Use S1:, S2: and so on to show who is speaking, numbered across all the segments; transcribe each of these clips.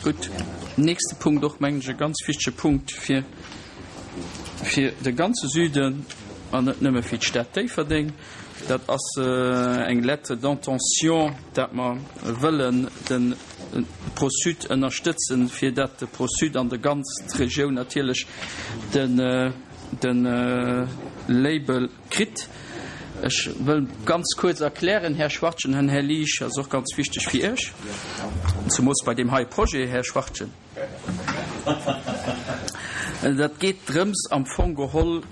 S1: Gutt, nächste Punkt, och mengen ech e ganz wichtege Punkt fir, fir de ganze Süden an net nëmme fir d'Stad Déifferdeng, dat ass eng Lettre d'intention, dat mer wëllen de ProSud ënnerstëtzen, fir dat de ProSud an de ganz d'Regioun natierlech den, de Label kritt. Ech wëll ganz kuerz erklären, Här Schwachtgen an Här Liesch, ass och ganz wichteg fir Iech, zumools bei deem hei Projet, Här Schwachtgen. Dat geet drëms am Fong geholl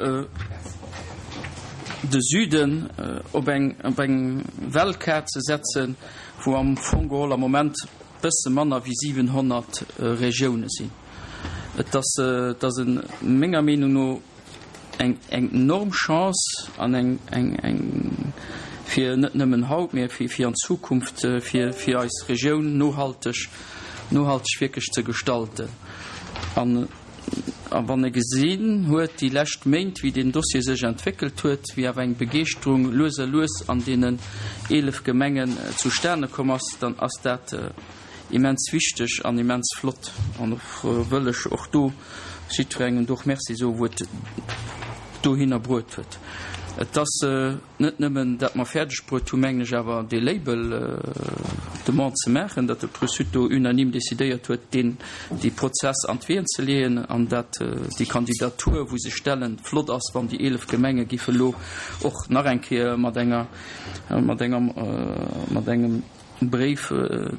S1: de Süden op eng op eng Weltkaart ze setzen, wou am Fong geholl am Moment bësse manner wéi 700 Regioune sinn. Et ass et ass menger Meenung no eng enorm Chance an eng eng eng fir net nëmmen haut, mä fir fir an Zukunft fir fir eis Regioun nohalteg nohalteg wierklech ze gestalten. An a wann e gesinn huet déi lescht Méint, wéi deen Dossier sech entwéckelt huet, wéi awer eng Begeeschterung lues a lues an deenen 11 Gemengen zustane komm ass, dann ass dat immens wichteg an immens flott. An och wëll ech och do jiddwerengem do och Merci soen, wou et dohinner bruet huet. Et ass net nëmmen, dat mer fäerdeg bruet hunn, mengen ech, awer dee Label Demande ze maachen, datt de Prüsud do unanime decidéiert huet, deen, dee Prozess an d'Ween ze leeën an dat déi Kandidatur, wou se stellen, flott ass, wann déi 11 Gemenge géife lo och nach eng Kéier mat enger, mat enger, mat engem, Bréif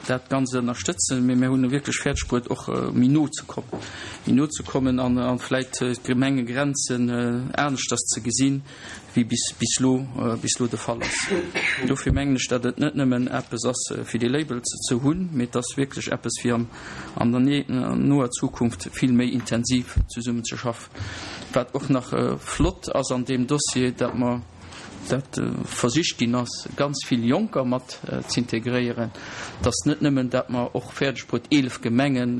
S1: dat Ganzt ënnerstëtzen, mee mir hunn e wierklech fäerdeg bruet och méi no ze kommen, méi no ze kommen an a vläit d'Gemengegrenzen aneschters ze gesinn, wéi bis bis elo bis elo de Fall ass. Dofir mengen ech, datt et net nëmmen eppes ass fir dee Label ze hunn, mee et ass wierklech eppes fir an an der noer Zukunft vill méi intensiv zesummen ze schaffen. Wat och nach flott ass an deem Dossier, datt mer, dat versicht ginn ass, ganz vill Jonker mat z'integréieren, dass net nëmmen, dat mer och fäerdeg bruet 11 Gemengen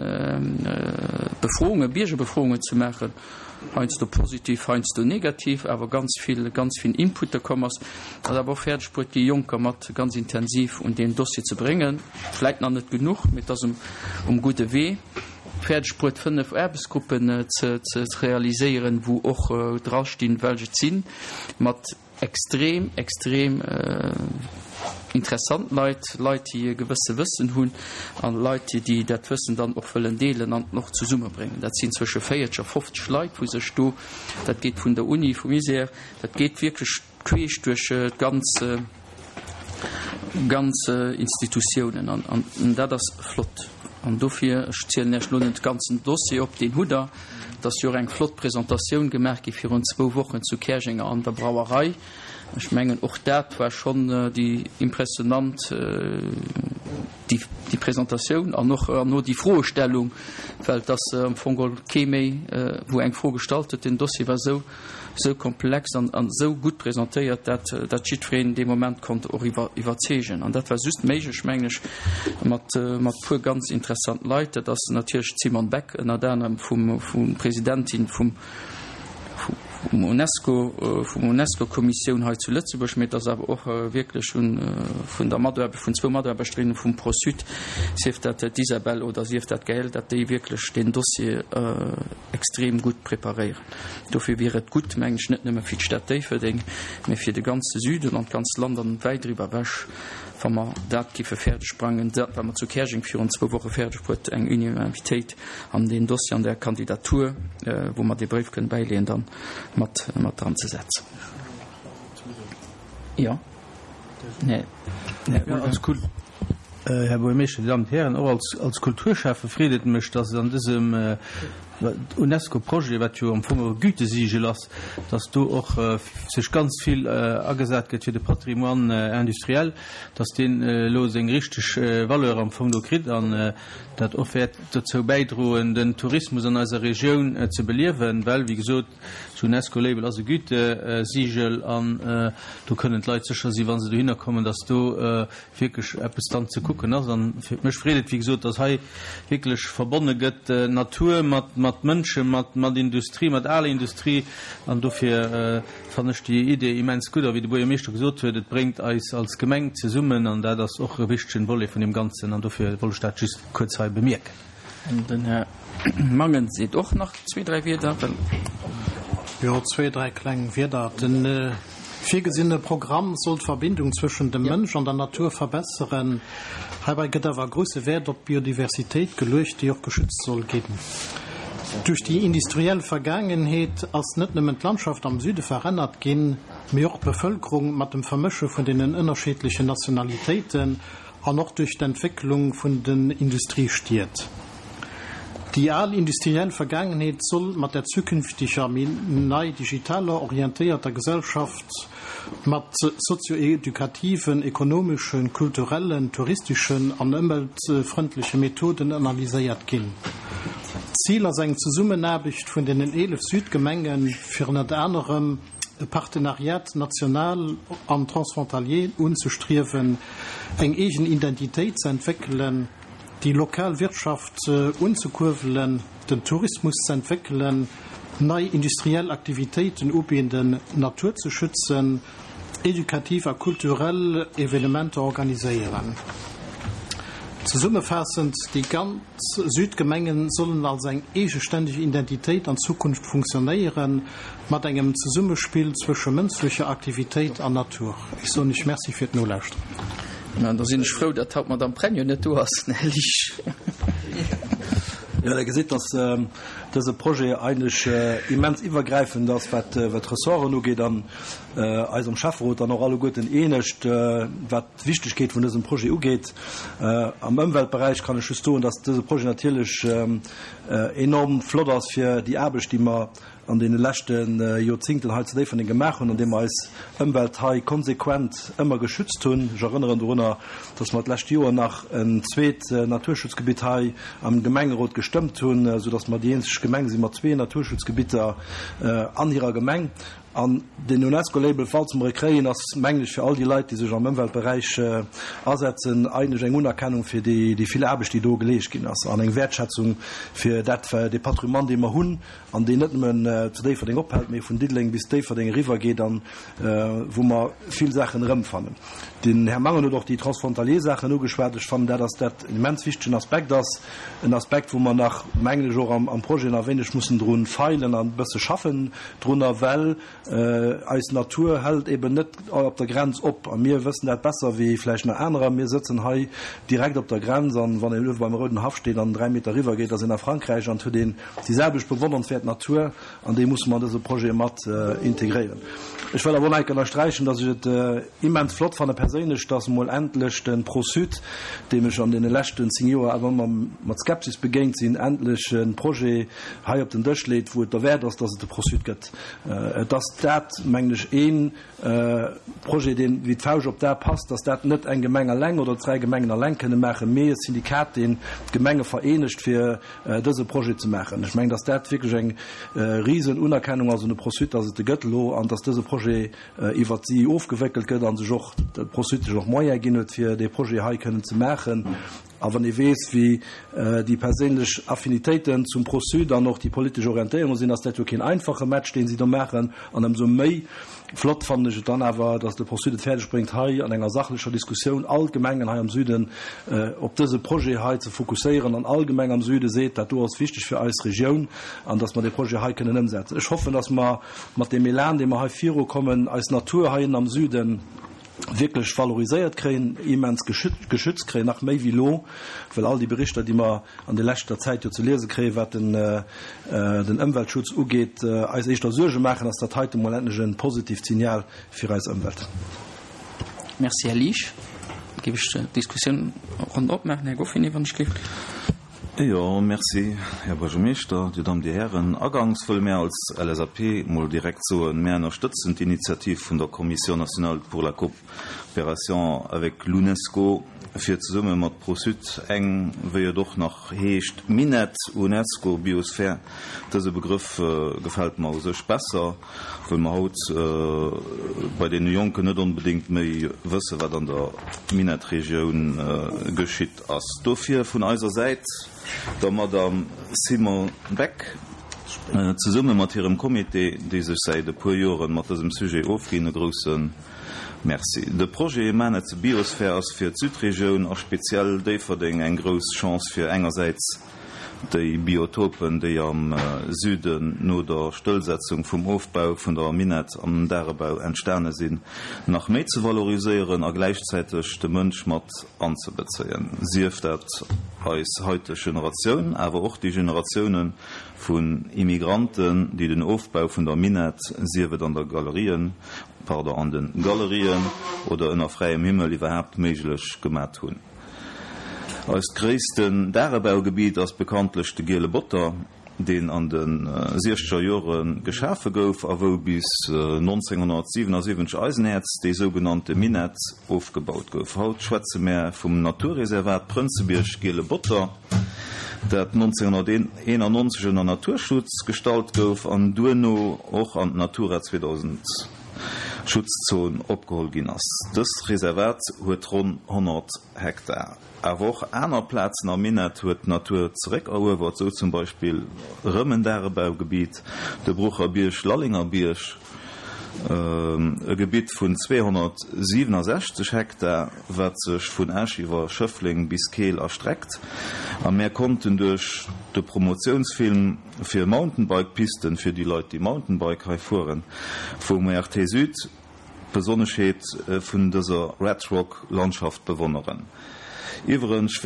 S1: Befroungen, Biergerbefroungen ze maachen, heiansdo positiv, heiansdo negativ, awer ganz vill, ganz vill Inputte komm ass, dat awer och fäerdeg bruet déi Jonker mat ganz intensiv un deen Dossier ze bréngen. Vläit nach net genuch, mee et ass um gudde Wee. Fäerdeg bruet 5 Aarbechtsgruppen ze realiséieren, wou och drastinn, welch et sinn, mat extrem, extrem interessant Leit, Leit, déi e gewësse Wëssen hunn a Leit, déi dat Wëssen dann och wëllen deelen an och zesummebréngen. Dat sinn zwësche 40 a 50 Leit, wou sech do, dat geet vun der Uni, vum ISER, dat geet wierklech, Queesch duerch d'ganz ganz Institutiounen an an dat ass flott. An dofir, ech zielen Iech elo net de ganzen Dossier op, deen hutt Der, et ass jo och eng flott Presentatioun gemaach gi virun zwou Wochen zu Käerjenger an der Brauerei. Ech mengen, och dat war schonn déi impressionant, déi déi Presentatioun an och herno déi Froestellung, well et ass am Fong geholl kee méi, wou eng Fro gestallt huet. Den Dossier war esou esou komplex an esou gutt presentéiert, dat dat jiddwereen dee Moment konnt och iwwerzeegen. An dat war just méiglech, mengen ech, mat mat puer ganz interessant Leit. Dat ass natierlech d'Simone Beck ënnert anerem vum vum Presidentin vum vum UNESCO, vum UNESCO-Kommissioun hei zu Lëtzebuerg, mee et ass awer och wierklech un vun der Mataarbecht, vun zwou Mataarbechterinnen vum Pro-Sud, sief dat d'Isabelle oder sief dat d'Gaëlle, dat déi wierklech deen Dossier extrem gutt preparéieren. Dofir wier et gutt, mengen ech, net nëmme fir d'Stad Déifferdeng, mä fir de ganze Süden an d'ganzt Land an wäit driwwer ewech, wa mer dat géife fäerdeg brengen, dat wat mer zu Käerjeng virun zwou Woche fäerdeg bruet, eng Unanimitéit an deen Dossier, an där Kandidatur, wou mer dee Bréif kënnen bäileeën, dann mat mat dran ze setzen. Jo. Nee.
S2: Nee. Här Buergermeeschter, Dir Dammen und Hären, och als, als Kulturschäffe freet et mech, dass et an dësem UNESCO-Projet, wat jo am Fong och e Gütesiegel ass, dass do och sech ganz vill agesat gëtt fir de Patrimoine industriel, dass deen elo seng richteg Valeur am Fong do kritt an dat och wäert dozou bäidroen, den Tourismus an eiser Regioun ze beliewen, well, wéi gesot, D'UNESCO-Label ass e Gütesiegel an do kënnen d'Leit sécher sinn, wa se dohinner kommen, dass do wierklech eppes dann ze kucken ass. An fir mech freet et, wéi gesot, dass hei wierklech verbonne gëtt Natur mat mat Mënschen, mat mat Industrie, mat aler Industrie. An dofir fannen ech déi Idee immens gutt. A wéi de Buergermeeschter gesot huet, et bréngt eis als Gemeng zesummen an dat ass och e wichtegen Volet vun deem Ganzen. An dofir wollt ech dat just kuerz hei bemierken.
S1: An den Här Mangen seet och nach zwee, dräi Wierder, well.
S3: Jo, zwee, dräi kleng Wierder. De virgesinne Programm soll d'Verbindung zwëschen dem Mënsch an der Natur verbesseren. Heibei gëtt awer grousse Wäert op d'Biodiversitéit geluecht, déi och geschützt soll ginn. Duerch déi industriell Vergaangenheet ass net nëmmen d'Landschaft am Süde verännert ginn, mee och d'Bevëlkerung mat dem Vermësche vun deenen ënnerscheedlechen Nationalitéiten an och duerch d'Entwécklung vun den Industriestied. Déi al industriell Vergaangenheet soll mat der zukünfteger, méi nei digitaler orientéierter Gesellschaft mat sozio-edukativen, ekonomeschen, kulturellen, touristeschen an ëmweltfrëndleche Methoden analyséiert ginn. Zil ass eng Zesummenaarbecht vun deenen 11 Südgemengen, fir ënnert anerem e Partenariat national an transfrontalier unzestriewen, eng eegen Identitéit ze entwéckelen, déi lokal Wirtschaft unzekuerwelen, den Tourismus ze entwéckelen, nei industriell Aktivitéiten ubinden, d'Natur ze schützen, edukativ a kulturell Evenementer organiséieren. Zesummefaassend, déi ganz Südgemengen sollen als eng eegeständeg Identitéit an Zukunft funktionéieren, mat engem Zesummespill zwësche mënschlecher Aktivitéit an Natur. Ech soen Iech Merci fir d'Nolauschteren.
S1: An da sinn ech frou, datt haut d'Madame Pregno net do ass, den Här Liesch.
S4: Jo, Der gesitt, datt dëse Projet eigentlech immens iwwergräifend ass, wat d'Ressorten ugeet, an eis am Schäfferot dann och alleguerten eenegt, wat d'Wichtegkeet vun dësem Projet ugeet. Am Ëmweltberäich kann ech just soen, datt dëse Projet natierlech enorm flott ass fir déi Aarbecht, déi mer an deene leschte Joerzingten hei zu Déifferdeng gemaach hunn, an deem mer eis Ëmwelt hei konsequent ëmmer geschützt hunn. Ech erënneren dorunner, dass mer d'lescht Joer nach en zweet Naturschutzgebitt hei am Gemengerot gestëmmt hunn, soudass mer déi eenzeg Gemeng si mat zwee Naturschutzgebitter an hirer Gemeng. An den UNESCO-Label, falls mer e kréien, ass, mengen ech, fir all déi Leit, déi sech am Ëmweltberäich asetzen, eigentlech eng Unerkennung fir déi vill Aarbecht, déi do geleescht ginn ass, an eng Wäertschätzung fir dat, dee Patrimoine, dee mer hunn an deen net nëmmen zu Déifferdeng ophält, mee vun Diddeleng bis Déifferdeng eriwwer geet an wou mer vill Saachen erëmfannen. Den Här Mangen huet och déi transfrontalier Saachen ugeschwat. Ech fannen, dat ass dat en immens wichtegen Aspekt ass, en Aspekt, wou mer nach, mengen ech, och am Projet nach e wéineg mussen dru feilen an e bësse schaffen drunner, well Eis Natur hält eben net op der Grenz op a mir wëssen dat besser wéi vläicht nach anerer. Mir sëtzen hei direkt op der Grenz an wann een uewe beim Rouden Haff steet an 3 Meter eriwwer geet, ass een a Frankräich an et huet een déi selwecht bewonnernswäert Natur an déi musse mer an dëse Projet mat integréieren. Ech wëll awer och nach eng Kéier ënnersträichen, dass ech et immens flott fanne perséinlech, dass emol endlech de Pro-Sud, deem ech an deene leschten 10 Joer awer ëmmer mat Skepsis begéint sinn, endlech e Projet hei op den Dësch leet, wou et derwäert ass, dass et de Pro-Sud gëtt. Et ass dat, mengen ech, ee Projet, deen wéi d'Fauscht op d'A passt, dass dat net eng Gemeng eleng oder dräi Gemengen eleng kënne maachen, mee e Syndikat, deen d'Gemenge vereenegt, fir dëse Projet ze maachen. Ech mengen, dass dat wierklech eng risen Unerkennung ass un de Pro-Sud, dass et e gëtt elo an dass dëse Projet iwwert si ofgewéckelt gëtt a sech och de Pro-Sud sech och Moyene ginn huet, fir dee Projet hei kënnen ze maachen. A wann ee weess, wéi déi perséinlech Affinitéiten zum Pro-Sud an och déi politesch Orientéierung sinn, ass dat jo keen einfache Match, deen si do maachen. An ëmsou méi flott fannen ech et dann awer, datt de Pro-Sud et fäerdeg bréngt, hei an enger sachlecher Diskussioun all d'Gemengen hei am Süden op dëse Projet hei ze fokusséieren an all Gemeng am Süde seet, dat do ass wichteg fir eis Regioun an datt mer dee Projet hei kënnen ëmsetzen. Ech hoffen, datt mer mat deem Elan, dee mer hei virukommen, eis Natur hei ënnen am Süden, wierklech valoriséiert kréien, immens geschützt kréien, nach méi wéi elo, well all déi Berichter, déi mer an der leschter Zäit jo ze liese kréien, wat den Ëmweltschutz ugeet, eis éischter Suerge maachen, ass dat heite mol endlech e positivt Signal fir eis Ëmwelt.
S1: Merci, Här Liesch. Da géif ech d'Diskussioun ronn opmaachen. Här Goffinet, wann ech géif.
S5: Jo, merci, Här Buergermeeschter, Dir Damm, Dir Hären. Aganks wëlle mär als LSAP mol direkt soen, mär ënnerstëtzen d'Initiativ vun der Commission nationale pour la coopération avec l'UNESCO, fir zesumme mat Pro-Sud eng, wéi et och nach heescht, Minett UNESCO Biosphere, dëse Begrëff gefält mer u sech besser, wëll mer haut bei deene Jonken net onbedéngt méi wësse wat an der Minettregioun geschitt ass. Dofir vun eiser Säit der Madame Simone Beck zesumme mat hirem Comité, déi sech säit e puer Joren mat dësem Sujet ofginn, e grousse Merci. De Projet Maanetze Biosphär ass fir d'Südregioun a speziell Déifferdeng eng grouss Chance fir engersäits. déi Biotopen, déi am Süden no der Stëllsetzung vum Ofbau vun der Minett am Dagebau entstane sinn, nach méi ze valoriséieren a gläichzäiteg de Mënsch mat anzebezéien, sief dat eis haiteg Generatioun, awer och déi Generatioune vun Immigranten, déi den Ofbau vun der Minett, sief et an der Galerien, pardon, an de Galerien oder ënner fräiem Himmel iwwerhaapt méiglech gemat hunn. Eist gréissten Dagebaugebiet ass bekanntlech de Giele Botter, deen an de siechzeger Jore geschafe gouf a wou bis 1977 Eisenäerz, déi sougenannte Minett, ofgebaut gouf. Haut schwätze mär vum Naturreservat Prënzebierg-Giele Botter, dat 1991 ënner Naturschutz gestallt gouf an duerno och an d'Natura 2000 Schutzzon opgeholl ginn ass. Dëst Reservat huet ronn 100 Hektar. Awer och aner Plazen am Minett huet d'Natur zeréckeruewert, sou zum Beispill erëm en Dagebaugebiet, de Brucher Bierg, Lallenger Bierg, e Gebitt vun 267 Hektar, wat sech vun Esch iwwer Schëffleng bis Keel erstreckt. A mär konnten duerch de Promotiounsfilm fir Mountainbike-Pisten, fir déi Leit, déi Mountainbike hei fueren, vum ORT Süd d'Besonneschheet vun dëser Red Rock Landschaft bewonneren. Iwwerens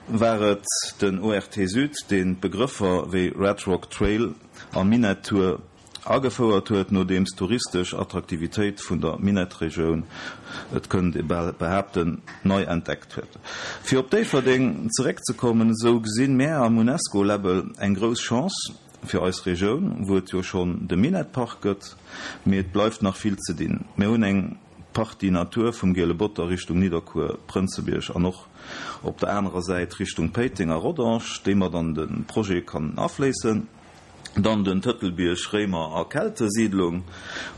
S5: war et den ORT Süd, deen d'Begrëffer wéi Red Rock Trail a Minett Tour agefouert huet, nodeems d'touristesch Attraktivitéit vun der Minettregioun, et kënnt ee bal behaapten, nei entdeckt huet. Fir op Déifferdeng zeréckzekommen, esou gesinn mär am UNESCO-Label eng grouss Chance fir eis Regioun, wou et jo schonn de Minettpark gëtt, mee et bleift nach vill ze dinn. Mir hunn eng Partie Natur vum Giele Botter Richtung Nidderkuer, Prënzebierg an och op der anerer Säit Richtung Péiteng a Rodange, déi mat an de Projet kann afléissen. Dann den Tëtelbierg, Réimer a Keltesiedlung.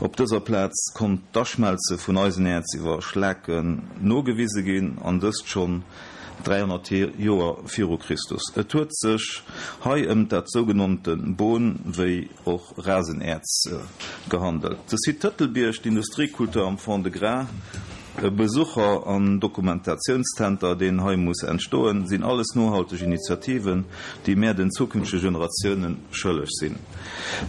S5: Op dëser Plaz konnt d'Aschmelze vun Eisenäerz iwwer Schlaken nogewise ginn, an dëst schonn 300 Joer viru Christus. Et huet sech hei ëm dat sougenannte Bon wéi och Rasenäerz gehandelt. De Site Tëtelbierg, d'Industriekultur am Fond-de-Gras, E Besucher an Dokumentationszenter, deen hei muss entstoen, sinn alles nohalteg Initiativen, déi mär den zukünftege Generatiounen schëlleg sinn.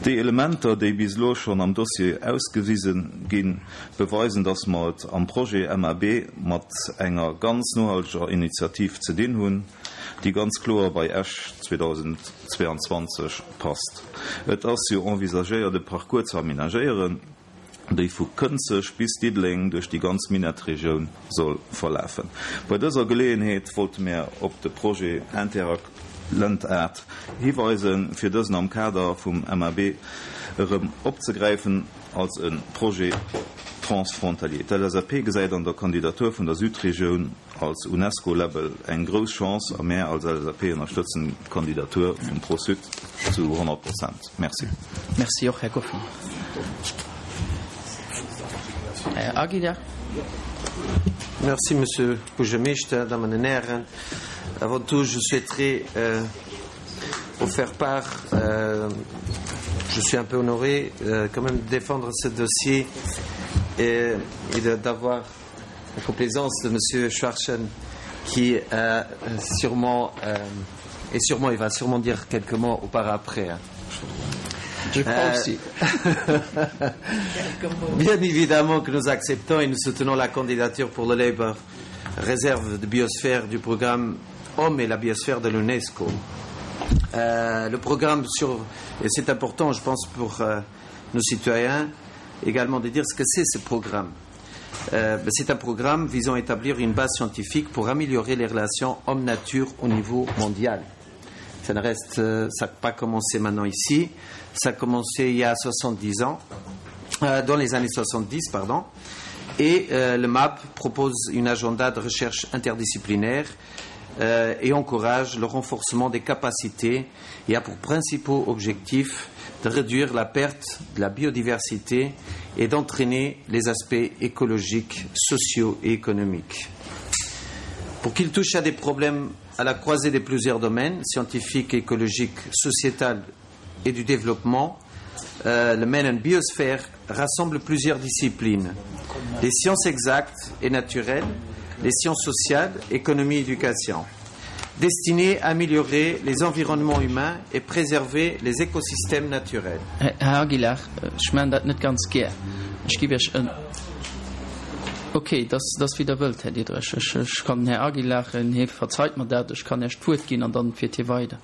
S5: Déi Elementer, déi bis elo schonn am Dossier ausgewise ginn, beweisen, dass mer et am Projet MAB mat enger ganz nohalteger Initiativ ze dinn hunn, déi ganz kloer bei Esch 2022 passt. Et ass jo envisagéiert, e Parcours ze aménagéieren, déi vu Kënzeg bis Diddeleng duerch déi ganz Minettregioun soll verlafen. Bei dëser Geleeënheet wollte mär op de Projet Interact Lëntart hiweisen, fir dësen am Kader vum MAB erëm opzegräifen als e Projet transfrontalier. D'LSAP gesäit an der Kandidatur vun der Südregioun als UNESCO-Label eng grouss Chance a mär als LSAP ënnerstëtzen d'Kandidatur vum Pro-Sud zu 100 Prozent. Merci.
S1: Merci och, Här Goffin. Här Aguilar.
S6: Merci, Monsieur Buergermeeschter, Dammen an Hären. Avant tout, je souhaiterais euh, vous faire part, euh, je suis un peu honoré euh, quand même de défendre ce dossier et, et d'avoir la complaisance de Monsieur Schwarzen qui euh, sûrement euh, et sûrement il va sûrement dire quelques mots au par après.
S1: Je crois euh, aussi.
S6: Bien évidemment que nous acceptons et nous soutenons la candidature pour le Labour réserve de biosphère du programme Homme et la biosphère de l'UNESCO. Euh, le programme sur et c'est important je pense pour euh, nos citoyens également de dire ce que c'est ce programme. Euh, c'est un programme visant à établir une base scientifique pour améliorer les relations homme-nature au niveau mondial. Ça ne reste euh, ça n'a pas commencé maintenant ici, ça a commencé il y a 70 ans euh, dans les années 70 pardon et euh, le MAP propose une agenda de recherche interdisciplinaire euh, et encourage le renforcement des capacités et a pour principaux objectifs de réduire la perte de la biodiversité et d'entraîner les aspects écologiques, sociaux et économiques. Pour qu'il touche à des problèmes à la croisée de plusieurs domaines scientifiques, écologiques, sociétal et du développement, euh, le Menon Biosphère rassemble plusieurs disciplines les sciences exactes et naturelles, les sciences sociales, économie et éducation. destinée à améliorer les environnements humains et préserver les écosystèmes naturels.
S1: Här Aguilar, ech maachen dat net ganz gär. Ech giff Iech en. Ok, dat ass wéi Der wëllt, Här Diderich. Ech kann den Här Aguilar, hie verzeit mer dat, ech kann Iech d'Wuert ginn an dann fiert hie weider.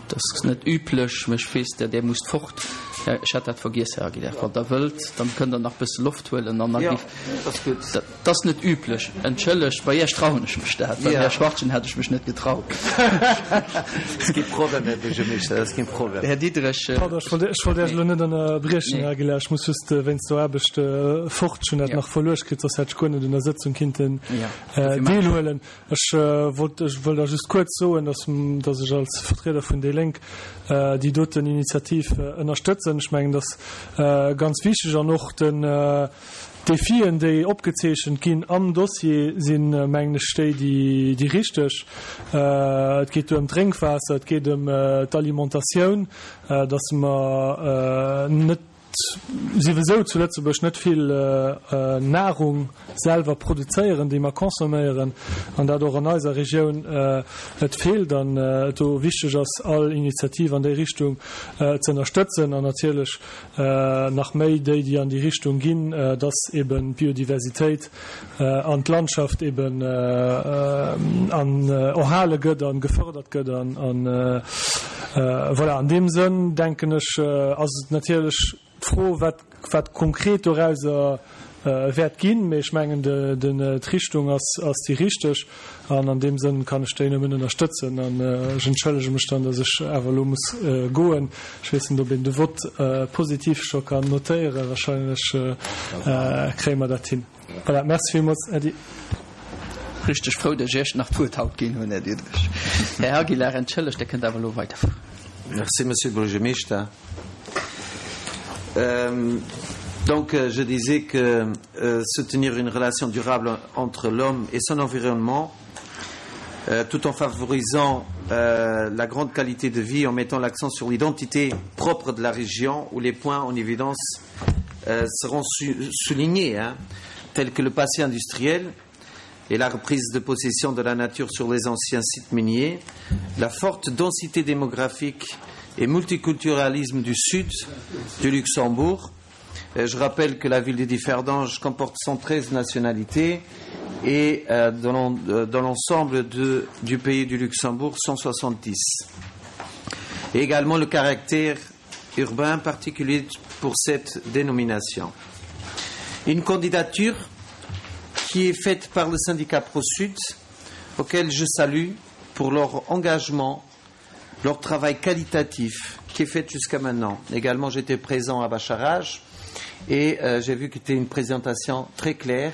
S1: Dat ass net üblech, mä ech weess, Der musst fort. Ech hat dat vergiess, Här Aguilar. Wann Der wëllt, dann kënnt Der nach e bësse Loft huelen an da giff. Dat ass net üblech. Entschëllegt, bei Iech trauen ech mech dat, beim Här Schwachtgen hätt ech mech net getraut. Här Diderich.
S7: Pardon, ech wollt Iech elo net ënnerbriechen, Här Aguilar. Ech muss just wéinst der Aarbecht fort. Ech hunn dat nach verluecht kritt, soss hätt ech guer net un der Sëtzung kinnten deelhuelen. Ech wollt, ech wëll da just kuerz soen, dass, dass ech als Vertrieder vun déi Lénk déi doten Initiativ ënnerstëtzen. Ech mengen, dass ganz wichteg an och den d'Defien, déi opgezeechent ginn am Dossier, sinn, mengen ech, déi, déi, déi richteg. Et geet do ëm d'Drénkwaasser, et geet ëm d'Alimentatioun, dass mer net, souwisou zu Lëtzebuerg net vill Nahrung selwer produzéieren, déi mer consomméieren, an dat och an eiser Regioun et feelt an et do wichteg ass, all Initiativ an déi Richtung ze ënnerstëtzen an natierlech nach méi déi, déi an déi Richtung ginn, dass eben d'Biodiversitéit an d'Landschaft eben an erhale gëtt a gefërdert gëtt. An voilà, an deem Sënn, denken ech, ass et natierlech d'Fro, wat, wat konkret dorauser wäert ginn. Mee ech mengen, d'Richtung ass, ass déi richteg. An an deem Sënn kann ech déi nëmmen ënnerstëtzen. An ech entschëllege mech dann, dass ech awer elo muss goen. Ech weess net, ob een de Vott positiv scho kann notéieren. Wahrscheinlech kréie mer dat hin. Voilà, merci villmools. Äddi.
S1: Richteg frou, dass ech Iech nach d'Wuert haut ginn hunn, Här Diderich. Här Aguilar, entschëllegt, Dir kënnt awer elo weiderfueren.
S6: Merci, Monsieur Buergermeeschter. Donc, je disais que euh, soutenir une relation durable entre l'homme et son environnement, euh, tout en favorisant euh, la grande qualité de vie, en mettant l'accent sur l'identité propre de la région, où les points en évidence euh, seront su soulignés, hein, tels que le passé industriel et la reprise de possession de la nature sur les anciens sites miniers, la forte densité démographique et multiculturalisme du sud du Luxembourg. Euh, je rappelle que la ville de Differdange comporte 113 nationalités et euh, dans l'ensemble du pays du Luxembourg 170. Et également le caractère urbain particulier pour cette dénomination. Une candidature qui est faite par le syndicat ProSud, auquel je salue pour leur engagement, leur travail qualitatif qui est fait jusqu'à maintenant. Également, j'étais présent à Bacharage et euh, j'ai vu que c'était une présentation très claire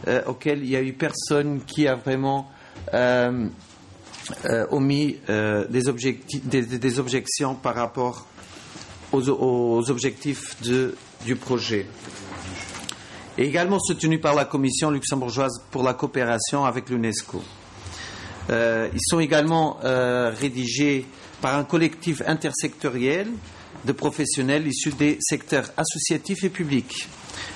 S6: euh, auquel il n'y a eu personne qui a vraiment euh, euh, omis euh, des, des, des objections par rapport aux, aux objectifs de, du projet. Et également soutenu par la Commission luxembourgeoise pour la coopération avec l'UNESCO. Euh, ils sont également euh, rédigés par un collectif intersectoriel de professionnels issus des secteurs associatifs et publics,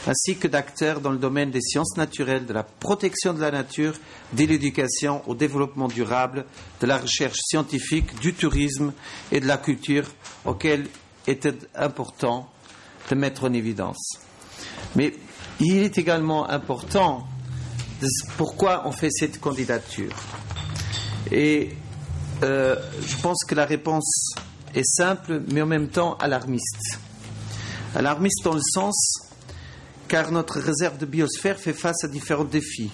S6: ainsi que d'acteurs dans le domaine des sciences naturelles, de la protection de la nature, de l'éducation au développement durable, de la recherche scientifique, du tourisme et de la culture auxquels était important de mettre en évidence. Mais il est également important de pourquoi on fait cette candidature. Et euh, je pense que la réponse est simple, mais en même temps alarmiste. Alarmiste dans le sens car notre réserve de biosphère fait face à différents défis.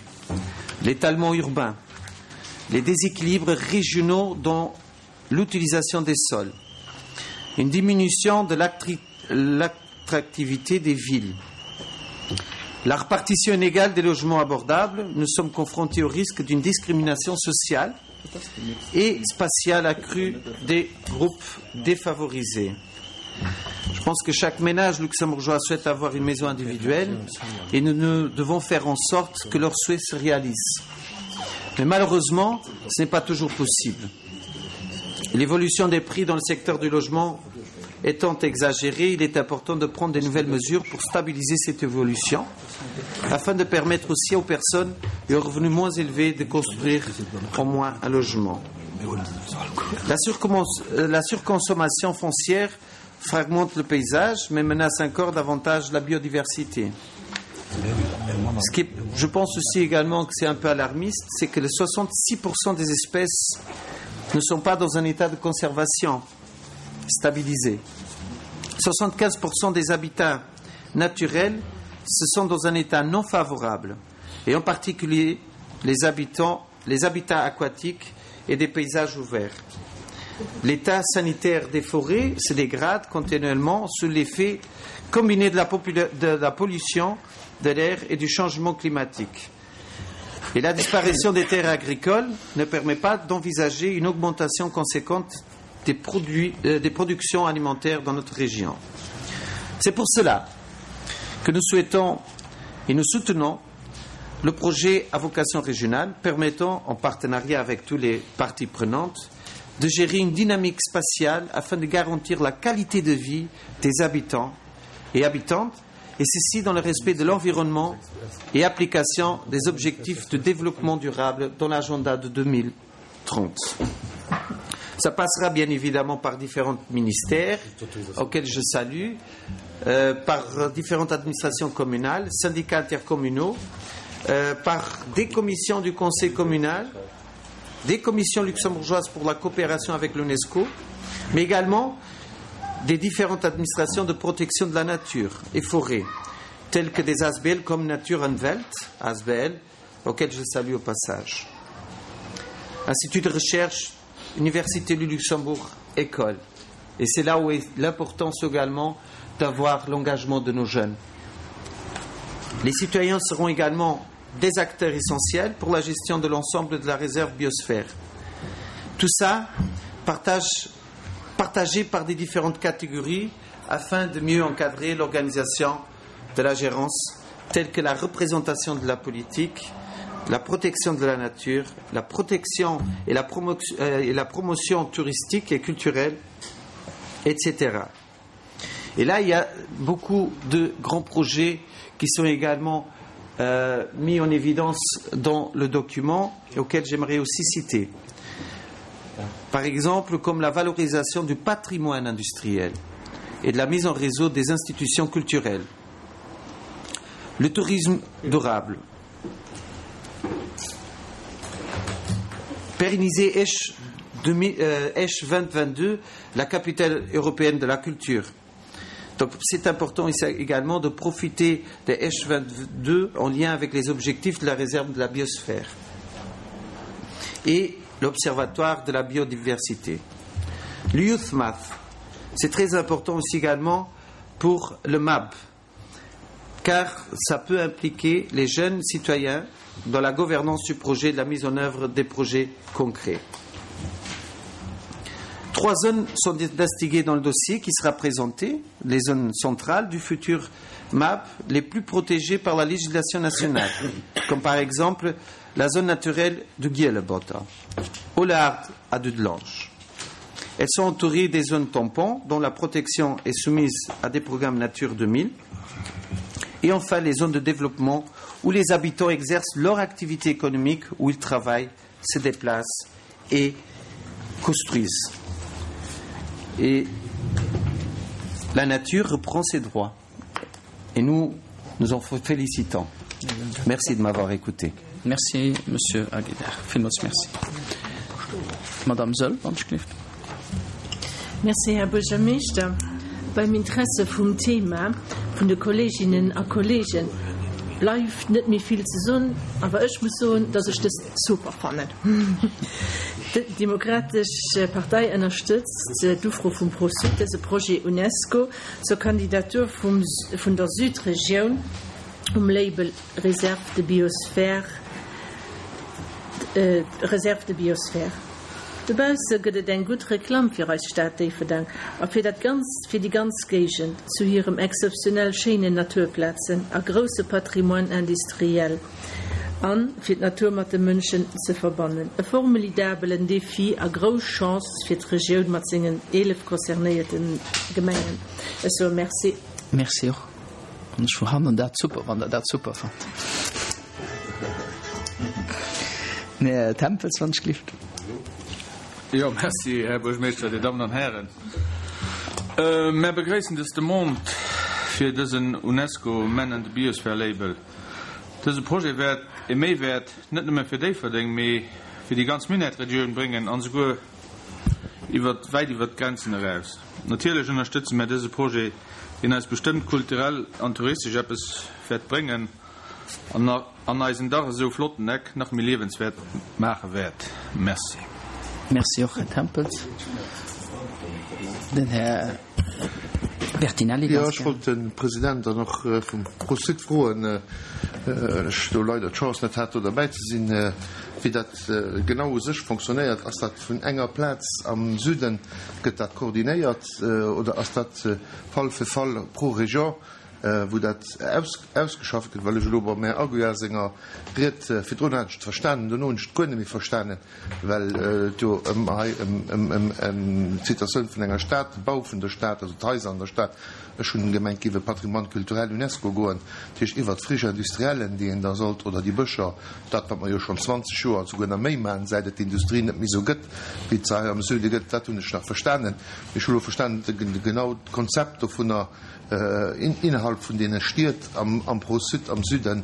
S6: L'étalement urbain, les déséquilibres régionaux dans l'utilisation des sols, une diminution de l'attractivité des villes. La répartition inégale des logements abordables, nous sommes confrontés au risque d'une discrimination sociale et spatiale accrue des groupes défavorisés. Je pense que chaque ménage luxembourgeois souhaite avoir une maison individuelle et nous, nous devons faire en sorte que leur souhait se réalise. Mais malheureusement, ce n'est pas toujours possible. L'évolution des prix dans le secteur du logement étant exagérée, il est important de prendre des nouvelles mesures pour stabiliser cette évolution afin de permettre aussi aux personnes et aux revenus moins élevés de construire au moins un logement. La, euh, la surconsommation foncière fragmente le paysage, mais menace encore davantage la biodiversité. Ce qui est, je pense aussi également que c'est un peu alarmiste, c'est que les 66% des espèces ne sont pas dans un état de conservation stabilisé. 75% des habitats naturels se sont dans un état non favorable et en particulier les habitants, les habitats aquatiques et des paysages ouverts. L'état sanitaire des forêts se dégrade continuellement sous l'effet combiné de la, de la pollution de l'air et du changement climatique. Et la disparition des terres agricoles ne permet pas d'envisager une augmentation conséquente des, produits, euh, des productions alimentaires dans notre région. C'est pour cela que nous souhaitons et nous soutenons le projet à vocation régionale permettant, en partenariat avec toutes les parties prenantes, de gérer une dynamique spatiale afin de garantir la qualité de vie des habitants et habitantes, et ceci dans le respect de l'environnement et application des objectifs de développement durable dans l'agenda de 2030. Ça passera bien évidemment par différents ministères auxquels je salue, euh, par différentes administrations communales, syndicats intercommunaux, euh, par des commissions du conseil communal, des commissions luxembourgeoises pour la coopération avec l'UNESCO, mais également des différentes administrations de protection de la nature et forêts, telles que des ASBL comme Nature Welt, ASBL, auxquelles je salue au passage. Institut de recherche, Université du Luxembourg, école. Et c'est là où est l'importance également d'avoir l'engagement de nos jeunes. Les citoyens seront également des acteurs essentiels pour la gestion de l'ensemble de la réserve biosphère. Tout ça partage, partagé par des différentes catégories afin de mieux encadrer l'organisation de la gérance telle que la représentation de la politique, la protection de la nature, la protection et la, promo euh, et la promotion touristique et culturelle, etc. Et là, il y a beaucoup de grands projets qui sont également euh, mis en évidence dans le document auquel j'aimerais aussi citer. Par exemple, comme la valorisation du patrimoine industriel et de la mise en réseau des institutions culturelles, le tourisme durable, pérenniser Esch, euh, Esch 2022, la capitale européenne de la culture. Donc c'est important également de profiter des H22 en lien avec les objectifs de la réserve de la biosphère et l'observatoire de la biodiversité. L'Youth Math, c'est très important aussi également pour le MAP, car ça peut impliquer les jeunes citoyens dans la gouvernance du projet et la mise en œuvre des projets concrets. Trois zones sont distinguées dans le dossier qui sera présenté, les zones centrales du futur MAP les plus protégées par la législation nationale, comme par exemple la zone naturelle de Gielebota, au Lard à Dudelange. Elles sont entourées des zones tampons dont la protection est soumise à des programmes Nature 2000 et enfin les zones de développement où les habitants exercent leur activité économique, où ils travaillent, se déplacent et construisent. Et la nature reprend ses droits. Et nous, nous en félicitons. Merci de m'avoir écouté.
S1: Merci, Monsieur Aguilar. Villmools merci. Madame Söll, wann ech gelift.
S8: Merci, Här Buergermeeschter. Beim Interesse vum Thema vun de Kolleeginnen a Kolleegen bleift net méi vill ze soen, awer ech muss soen, dass ech dëst super fannen. D'Demokratesch Partei ënnerstëtzt d'Ufro vum Pro-Sud, dëse Projet UNESCO zur Kandidatur vum vun der Südregioun um Label Réserve de biosphère Réserve de biosphère. Dobausse gëtt et eng gutt Reklamm fir eis Stad Déifferdeng a fir dat ganz fir déi ganz Géigend zu hirem exzeptionell schéinen Naturplazen a grousse Patrimoine industriel an fir d'Natur mat de Mënschen ze verbannen. E formulidabelen Defi a grouss Chance fir d'Regioun mat sengen 11 concernéierte Gemengen. Ech soe Merci.
S1: Merci och. An ech fannen dat super, wann Der dat super fannt. Här Tempels, wann ech gelift.
S9: Jo, merci, Här Buergermeeschter, Dir Dammen an Hären. Mär begréissen dës Demande fir dësen UNESCO Man and the Biosphere Label. Dëse Projet wäert e Méiwäert net nëmme fir Déifferdeng, mee fir déi ganz Minett-Regioun bréngen an esouguer iwwer wäit iwwer d'Grenzen eraus. Natierlech ënnerstëtze mär dëse Projet, deen eis bestëmmt kulturell an touristesch eppes wäert bréngen an an eisen dach esou flotten Eck nach méi liewenswäert maache wäert. Merci.
S1: Merci och, Här Tempels. Den Här Bertinelli,
S10: Jo, ganz ech gär. wollt de President dann och vum Pro-Sud froen, well ech do leider d'Chance net hat, do derbäi ze sinn, wéi dat genau u sech fonctionnéiert. Ass dat vun enger Plaz am Süden, gëtt dat koordinéiert oder ass dat Fall fir Fall pro Région, wou dat ausgeschafft gëtt? Well ech elo beim Här Aguiar senger Ried virdrun hat ech et verstanen, dono hunn ech et guer net méi verstanen, well et jo ëm hei ëm d'Situatioun vun enger Stad, de Bau vun der Stad, also d'Haiser an der Stad, ech hunn gemengt, géif e Patrimoine culturel UNESCO goen, dat heescht iwwert d'Friche industriellen, déi een da sollt, oder déi Bëscher, dat wat mer jo schonn 20 Joer, souguer nach méi maachen, säit et d'Industrie net méi esou gëtt, wéi et se hei am Süde gëtt, dat hunn ech nach verstanen. Mee ech hu elo verstanen, genau d'Konzept dovunner, innerhalb vun deene Stied am Pro-Sud, am Süden,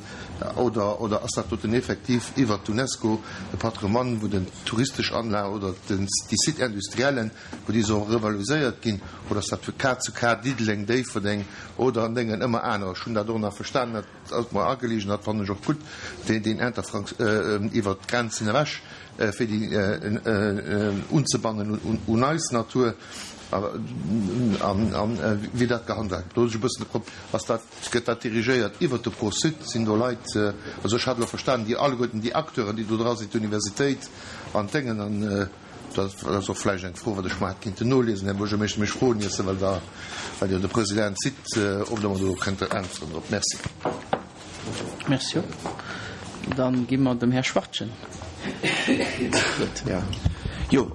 S10: oder oder ass dat doten effektiv iwwert d'UNESCO e Patrimoine, wou den touristesch Anlagen oder den déi Sites industriellen, wou déi soll revaloriséiert ginn, oder ass dat vu Cas zu Cas, Diddeleng, Déifferdeng oder an Déngen ëmmer anerer? Ech hunn dat och nach verstanen, dat ass mer ageligen, dat fannen ech och gutt, deen deen Interfrank iwwert d'Grenzen ewech, fir déi unzebannen un eis Natur. An wéi dat gehandhaabt gëtt, do hunn ech e bëssen de Prob. Ass dat, gëtt dat dirigéiert iwwert de Pro-Sud? Sinn do Leit, also ech hat elo verstanen, déi alleguerten déi Acteuren, déi do dra sinn, d'Universitéit an d'Déngen, an dat ass och vläicht eng Fro, wat ech mar hätt kinnten noliesen, Här Buergermeeschter, mee ech froen Iech se, well Der, well Dir de President sidd, ob Der mer do kënnt äntweren drop. Merci.
S1: Merci och. Dann gi mer dem Här Schwachtgen d'Wuert.
S6: Jo,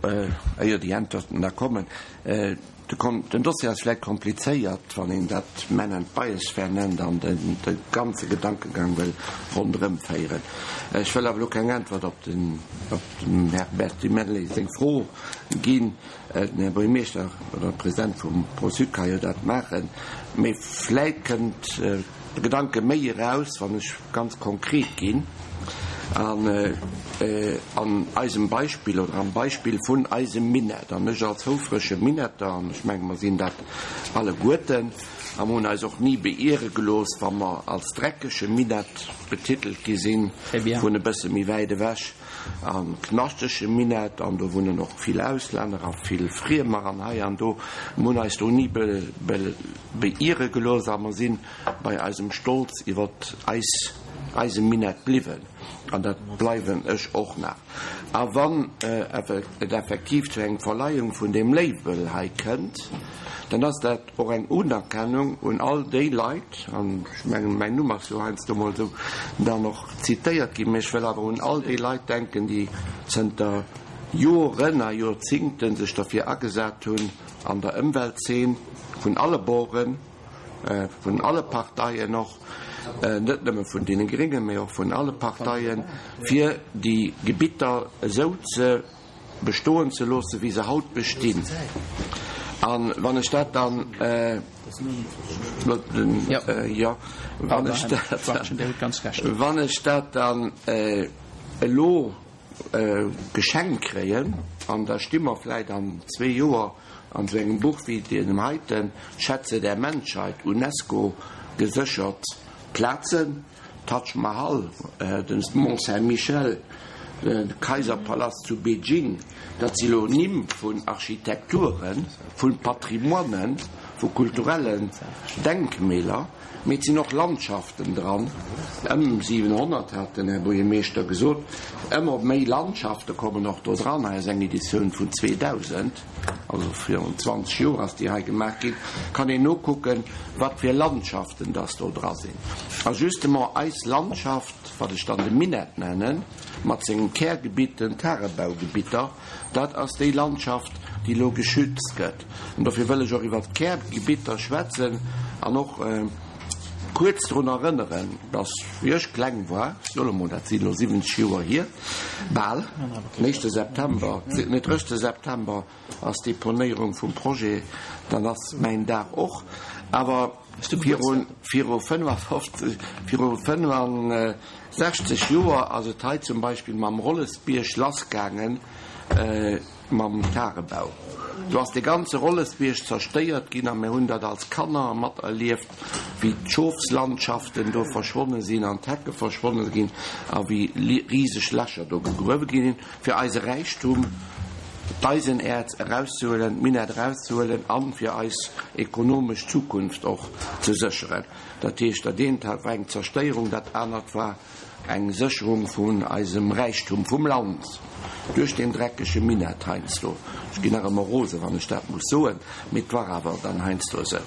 S6: éier déi Äntwerten da kommen, Den Dossier ass vläicht komplizéiert, wann een dat Man and Biosphere nennt an de ganze Gedankegang wëll ronderëm féieren. Ech wëll awer elo keng Äntwert op dem Här Bertinelli seng Fro ginn. Den Här Buergermeeschter oder President vum Pro-Sud ka jo dat maachen. Mee vläicht kënnt de Gedanke méi eraus, wann ech ganz konkret ginn an an eisem Beispill oder am Beispill vun eisem Minett. An ech als houfrege Minetter, an ech menge mer sinn dat alleguerten, a mer hunn eis och ni beiere gelooss, wa mer als dreckege Minett betitelt gi sinn vun e bësse méi wäit ewech, a knaschtege Minett, an do wunnen och vill Auslänner a vill Friemer an hei an do. Mer hunn eis do ni beiere gelooss a mer si bei eisem Stolz iwwer eis, eise Minett bliwwen. An dat bleiwen ech och nach. A wann et effektiv zu engem Verleihung vun deem Label hei kënnt, dann ass dat Och eng Unerkennung un all déi Leit, an ech mengen, mäin Numm ass jo heiansdo mol esou dann och zitéiert ginn, mä ech wëll awer un all déi Leit denken, déi zënter Joren a Joerzingte sech derfir agesat hunn an der Ëmweltzeen, vun alle Borden, vun alle Parteien och, net nëmme vun deene Gréngen, mä och vun alle Parteien, fir déi Gebitter esou ze bestoen ze loosse wéi se haut bestinn. A wann ech dat dann, jo, wann ech dat, wann ech dat dann elo geschenkt kréien, an da sti mer vläicht an zwee Joer an esou engem Buch wéi deem heiten, Schätze der Menschheit, UNESCO geséchert Plazen, Taj Mahal, de Mont Saint-Michel, de Kaiserpalast zu Beijing, dat si lo Nimm vun Architekturen, vu Patrimoinen, vu kulturellen Denkmäler, mee et sinn och Landschaften dran. Ëm 700, hat den Här Buergermeeschter gesot. Ëmmer méi Landschafte kommen och do dran. Hei ass eng Editioun vun 2000. Also virun 20 Joer ass déi hei gemaach ginn, kann een nokucken, wat fir Landschaften dass do dra sinn. A justement eis Landschaft, wat ech dann de Minett nennen, mat sengem Kärgebitt, den Tagebaugebitter, dat ass déi Landschaft, déi elo geschützt gëtt. An dofir wëll ech och iwwert d'Kärgebitter schwätzen an och.
S11: kuerz drun erënneren, dass, wéi ech kleng war, ech soe mol, dat sinn elo 70 Joer hier, bal, den éischte September, nee, 30 September ass d'Deponéierung vum Projet, dann ass mäin Dag och, awer viru, viru 55, viru 65 Joer ass et hei zum Beispill mam Rollesbierg lassgaangen, Mam Tagebau. Do ass de ganze Rollesbierg zerstéiert ginn a mir hunn dat als Kanner materlieft, wéi d'Schofslandschaften do verschwonne sinn an d'Hecke verschwonne ginn a wéi riseg Lächer do gegruewe gi sinn, fir eise Räichtum, d'Eisenäerz erauszehuelen, d'Minett erauszehuelen a fir eis ekonomesch Zukunft och ze sécheren. Dat heescht, dat eent war eng Zerstéierung, dat anert war Eng Sécherung vun eisem Räichtum vum Land duerch deen dreckege Minett heiansdo. Ech ginn nach ëmmer rose wann ech dat muss soen, mee et war awer dann heiansdo esou.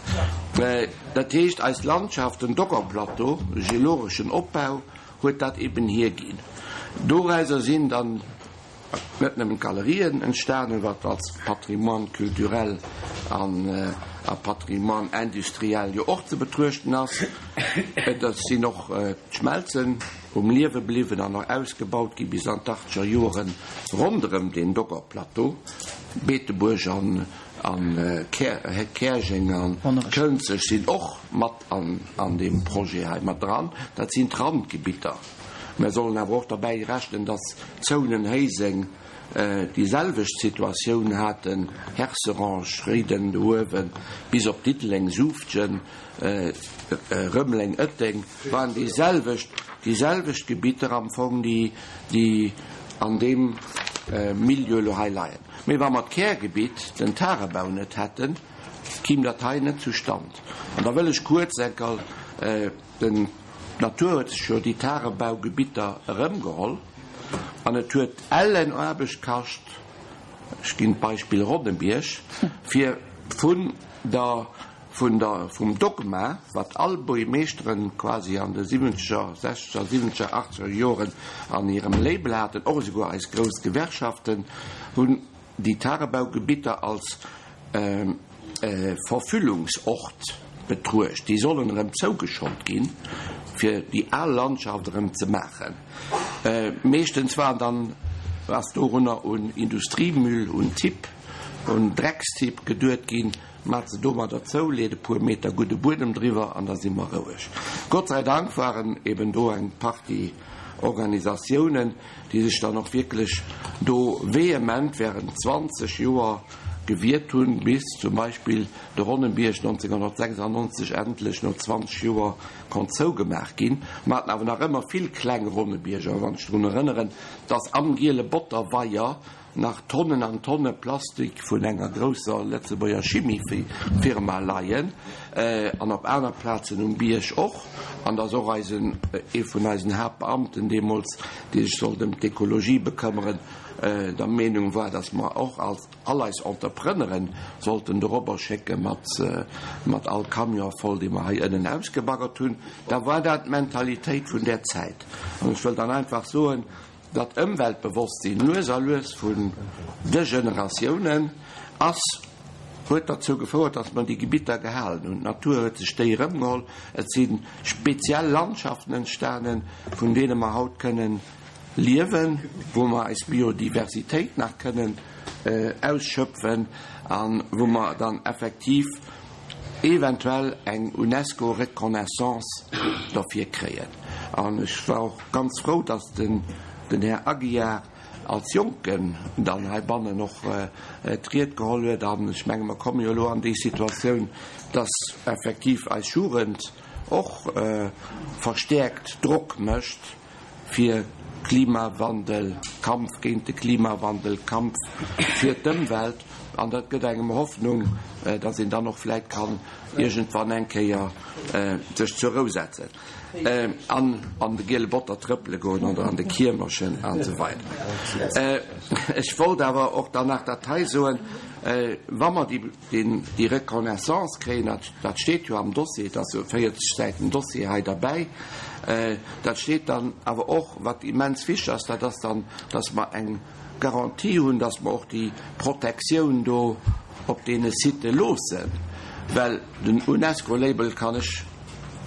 S11: Dat heescht, eis Landschaft, den Doggerplateau, de geologeschen Opbau huet dat eben hierginn. Dorauser sinn dann Net nëmmen d'Galerien entstanen, wat als Patrimoine culturel an a Patrimoine industriel jo och ze betruechten ass, et sinn och d'Schmelzen um Liewe bliwwen an och ausgebaut gi bis an d'Achtzeger Joren ronderëm den Doggerplateau, Beetebuerg an Käerjeng an Kënzeg sinn och mat an deem Projet hei mat dran. Dat sinn d'Randgebitter. Mer sollen awer och derbäi rechnen, dass Zounen, Héiseng déi selwecht Situatioun haten, Herserange, Réiden do uewen, bis op Diddeleng, Suuftgen, Rëmeleng, Ëtteng, waren déi selwecht, déi selwecht Gebitter am Fong, déi, déi an deem Milieu elo hei leien. Mee wa mer d'Kärgebitt, den Tagebau net hätten, kimm dat hei net zustand. An da wëll ech kuerz enker Den D'Natur huet sech jo déi Tagebaugebitter erëmgeholl an et huet ellen Aarbecht kascht, ech ginn d'Beispill Ronnebierg, fir vun der, vun der, vum Dogma, wat all Buergmeeschteren quasi an de siwwenzeger, sechzeger, siwwenzeger, achtzeger Joren an hirem Label haten, och esouguer eis grouss Gewerkschaften hunn déi Tagebaugebitter als Verfüllungsort betruecht. Déi sollen erëm zougeschott ginn, fir déi al Landschaft erëm ze maachen. Meeschtens war dann, ass dorunner un Industriemüll, un Tipp, un Dreckstipp geduet ginn, Maat se domadder zou, leet e puer Meter gudde Buedem driwwer an da si mer roueg. Gott sei Dank waren eben do eng Partie Organisatiounen, déi sech dann och wierklech do vehement während 20 Joer gewiert hunn, bis zum Beispill de Ronnenbierg 1996 endlech no 20 Joer konnt zougemaach ginn. Mer haten awer nach ëmmer vill kleng Ronnebierger, wann ech drun erënneren, dass am Giele Botterweier nach Tonnen an Tonne Plastik vun enger grousser Lëtzebuerger Chimiefirma leien an op aner Plazen um Bierg och, an dass och eisen, ee vun eisen Haaptbeamten deemools, dee sech sollt ëm d'Ekologie bekëmmeren, der Meenung war, dass mer och als all eis Entrepreneuren sollten dorobber schécke mat, mat all Camion voll, dee mer hei ënnen ausgebaggert hunn, da war dat d'Mentalitéit vun där Zäit. An ech wëll dann einfach soen, Dat Ëmweltbewosstsinn lues a lues vun de Generatiounen ass, huet derzou gefouert, datt mer déi Gebitter gehalen hunn. D'Natur huet sech déi erëmgeholl. Et si speziell Landschaften entstanen, vun deene mer haut kënnen liewen, wou mer eis Biodiversitéit nach kënnen ausschöpfen a wou mer dann effektiv eventuell eng UNESCO-Reconnaissance derfir kréien. An ech war och ganz frou, dass den Här Aguiar als Jonken dann heibannen och d'Ried geholl huet. An ech menge mer komme jo elo an déi Situatioun, dass effektiv eis Jugend och verstäerkt Drock mécht, fir Klimawandel, Kampf géint de Klimawandel, Kampf fir d'Ëmwelt. An dat gëtt engem Hoffnung, dass een dann och vläit kann iergendwann eng Kéier sech zur Rou setzen an an de giele Botter trëppele goen oder an de Kiermerchen an esou weider. Ech wollt awer och dann nach dat hei soen, Wa mer déi déi Reconnaissance kréien, dat, dat steet jo am Dossier, et ass jo e 40 Säiten Dossier hei derbäi, dat steet dann awer och, wat immens wichteg ass, dat ass dann, dass mer eng Garantie hunn, dass mer och déi Protektioun do op deene Sitë loossen, well den UNESCO-Label kann ech.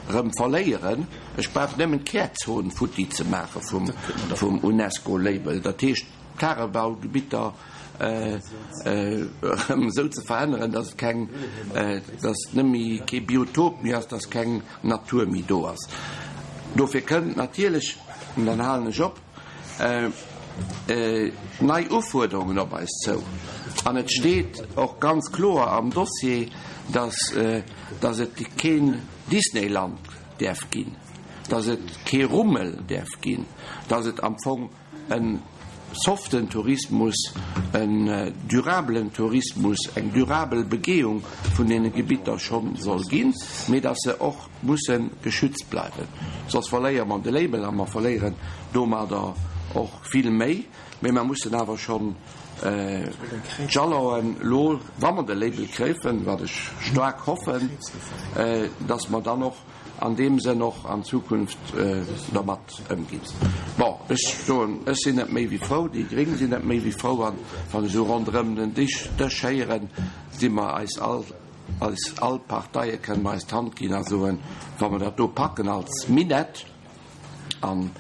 S11: erëm verléieren. Ech brauch nëmmen d'Kärzon futti ze maache vum UNESCO-Label, dat heescht d'Tagebaugebitter erëm esou ze veränneren, dass et keng, dass et net méi kee Biotop méi ass, dass keng Natur méi do ass. Dofir kënnt natierlech, an dann halen ech op, nei Ufuerderungen op eis zou. An et steet och ganz kloer am Dossier, dass, dass et keen Disneyland däerf ginn, dass et kee Rummel däerf ginn, dass et am Fong e soften Tourismus, en durabelen Tourismus, eng durabel Begehung vun deene Gebitter scho soll ginn, mee dass se och musse geschützt bleiwen. Soss verléiere mer de Label a mer verléieren domadder och vill méi. Mee mer mussen awer schonn d'Jalonen elo, wa mer de Label kréifen, wat ech staark hoffen, dass mer dann och an deem Sënn och an Zukunft dermat ëmginn. Bon, ech soen, ech sinn net méi wéi frou, déi Gréng sinn net méi wéi frou an wann ech esou ronderëm den Dich Dësch héieren, si mer eis all, eis all Parteie kënnen mer eis d'Hand ginn a soen, wa mer dat do packen als Minett, an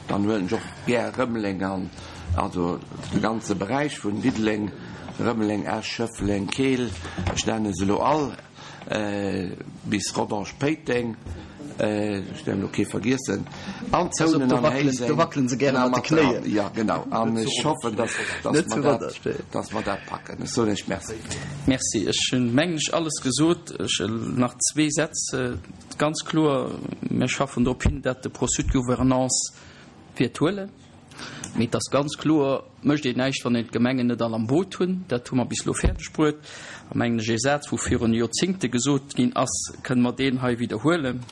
S11: dann huelen ech och gär Rëmeleng an, also de ganze Beräich vun Diddeleng, Rëmeleng, Esch, Schëffleng, Keel, ech nenne se elo all, Bis Rodange, Péiteng, ech däerf elo kee vergiessen, an Zounen an Héiseng.
S12: Do wackelen se gäre mat de Knéien.
S11: Jo, genau. An ech hoffen, dass mer dat, dass mer dat packen. Ech soen Iech Merci.
S1: Merci. Ech hunn, mengen ech, alles gesot. Ech nach zwee Sätz. Ganz kloer, mir schaffen drop hin, dat de Processus de gouvernance wäert huelen. Mee et ass ganz kloer, mécht een näischt, wann een d'Gemengen net all am Boot hunn. Dat hu mer bis elo fäerdeg bruet. A mengen ech, ee Saz, wou virun Joerzingte gesot ginn ass, kënne mer deen hei widderhuelen.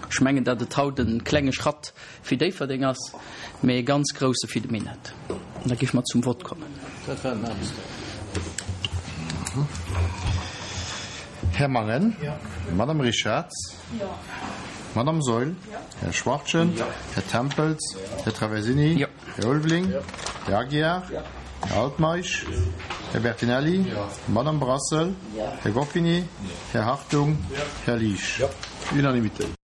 S1: Ech mengen, datt et haut e klenge Schratt fir Déifferdeng ass, mee e ganz grousse fir de Minett. An da géife mer zum Vott kommen.
S10: Dat war den Aarbechtsdag. Här Mangen? Madame Richarz? Madame Saeul, Här Schwachtgen, Här Tempels, Här Traversini, Här Ulveling, Här Aguiar, Här Altmeisch, Här Bertinelli, Madame Brassel, Här Goffini, Här Hartung, Här Liesch. Unanimitéit.